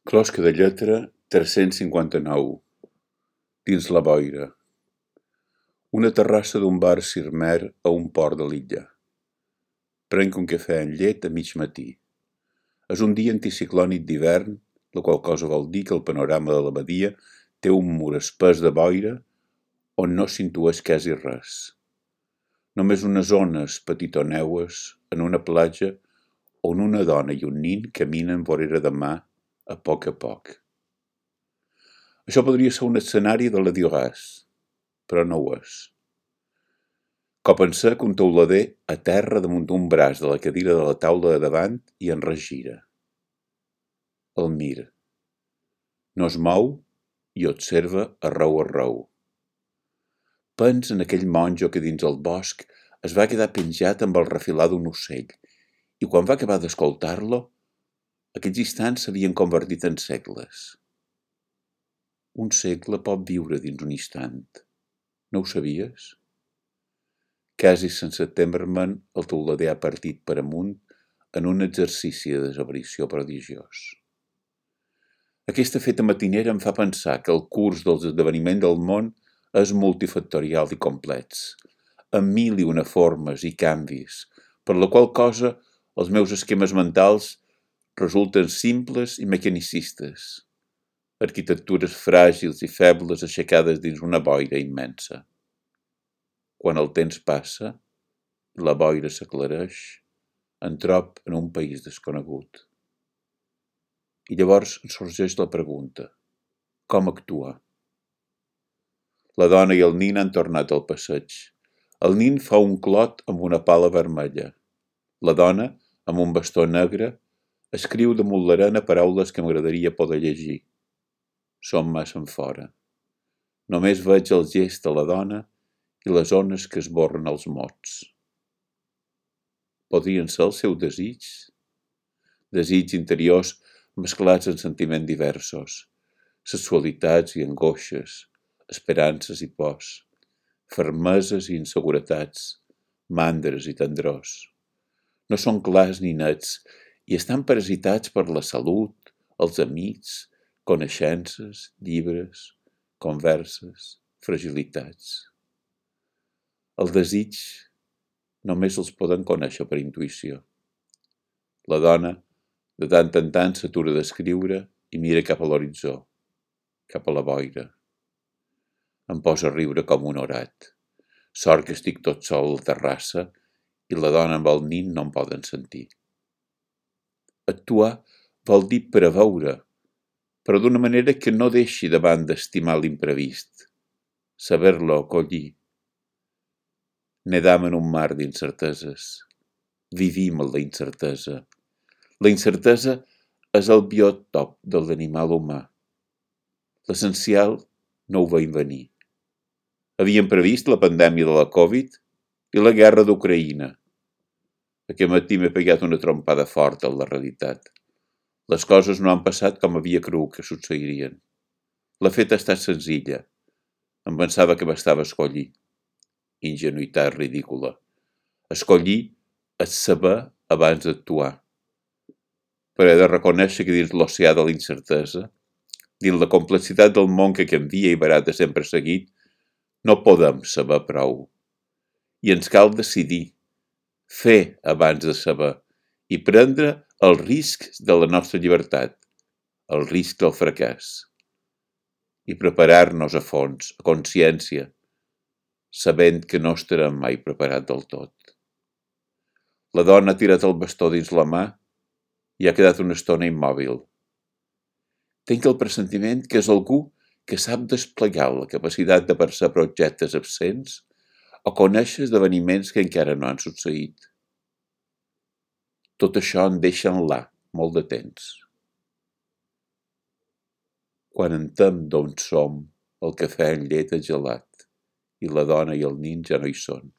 Closca de lletra 359. Dins la boira. Una terrassa d'un bar cirmer a un port de l'illa. Prenc un cafè amb llet a mig matí. És un dia anticiclònic d'hivern, la qual cosa vol dir que el panorama de la badia té un mur espès de boira on no s'intueix quasi res. Només unes ones petitoneues en una platja on una dona i un nin caminen vorera de mà a poc. Això podria ser un escenari de la Diogàs, però no ho és. Pensar que un teulader aterra damunt d'un braç de la cadira de la taula de davant i en regira. El mira. No es mou i observa arreu. Pensa en aquell monjo que dins el bosc es va quedar penjat amb el refilar d'un ocell i quan va acabar d'escoltar-lo, aquells instants s'havien convertit en segles. Un segle pot viure dins un instant. No ho sabies? Quasi sense temer-me'n, el teulader ha partit per amunt en un exercici de desaparició prodigiós. Aquesta feta matinera em fa pensar que el curs dels esdeveniments del món és multifactorial i complex, amb mil i una formes i canvis, per la qual cosa els meus esquemes mentals resulten simples i mecanicistes, arquitectures fràgils i febles aixecades dins una boira immensa. Quan el temps passa, la boira s'aclareix, en trob en un país desconegut. I llavors sorgeix la pregunta: com actuar? La dona i el nin han tornat al passeig. El nin fa un clot amb una pala vermella. La dona, amb un bastó negre, escriu damunt l'arena paraules que m'agradaria poder llegir. Som massa enfora. Només veig el gest de la dona i les ones que esborren els mots. Podrien ser el seu desig? Desigs interiors mesclats en sentiments diversos, sexualitats i angoixes, esperances i pors, fermeses i inseguretats, mandres i tendrors. No són clars ni nets i estan parasitats per la salut, els amics, coneixences, llibres, converses, fragilitats. El desig només els poden conèixer per intuïció. La dona, de tant en tant, s'atura d'escriure i mira cap a l'horitzó, cap a la boira. Em posa a riure com un orat. Sort que estic tot sol a la terrassa i la dona amb el nin no em poden sentir. Actuar vol dir preveure, però d'una manera que no deixi davant d'estimar l'imprevist, saber-lo acollir. Nedam en un mar d'incerteses. Vivim en la incertesa. La incertesa és el biòtop de l'animal humà. L'essencial no ho veiem venir. Havíem previst la pandèmia de la Covid i la guerra d'Ucraïna. Aquest matí m'he pegat una trompada forta en la realitat. Les coses no han passat com havia cregut que succeirien. La feta ha estat senzilla. Em pensava que bastava escollir. Ingenuïtat ridícula. Escollir és saber abans d'actuar. Però he de reconèixer que dins l'oceà de la incertesa, dins la complexitat del món que canvia i barata sempre seguit, no podem saber prou. I ens cal decidir, fer abans de saber i prendre els riscs de la nostra llibertat, el risc del fracàs. I preparar-nos a fons, a consciència, sabent que no estarem mai preparat del tot. La dona ha tirat el bastó dins la mà i ha quedat una estona immòbil. Tinc el pressentiment que és algú que sap desplegar la capacitat de percebre objectes absents o conèixer esdeveniments que encara no han succeït. Tot això em deixa enlà molt de temps. Quan entenc d'on som, el cafè amb llet és gelat i la dona i el nin ja no hi són.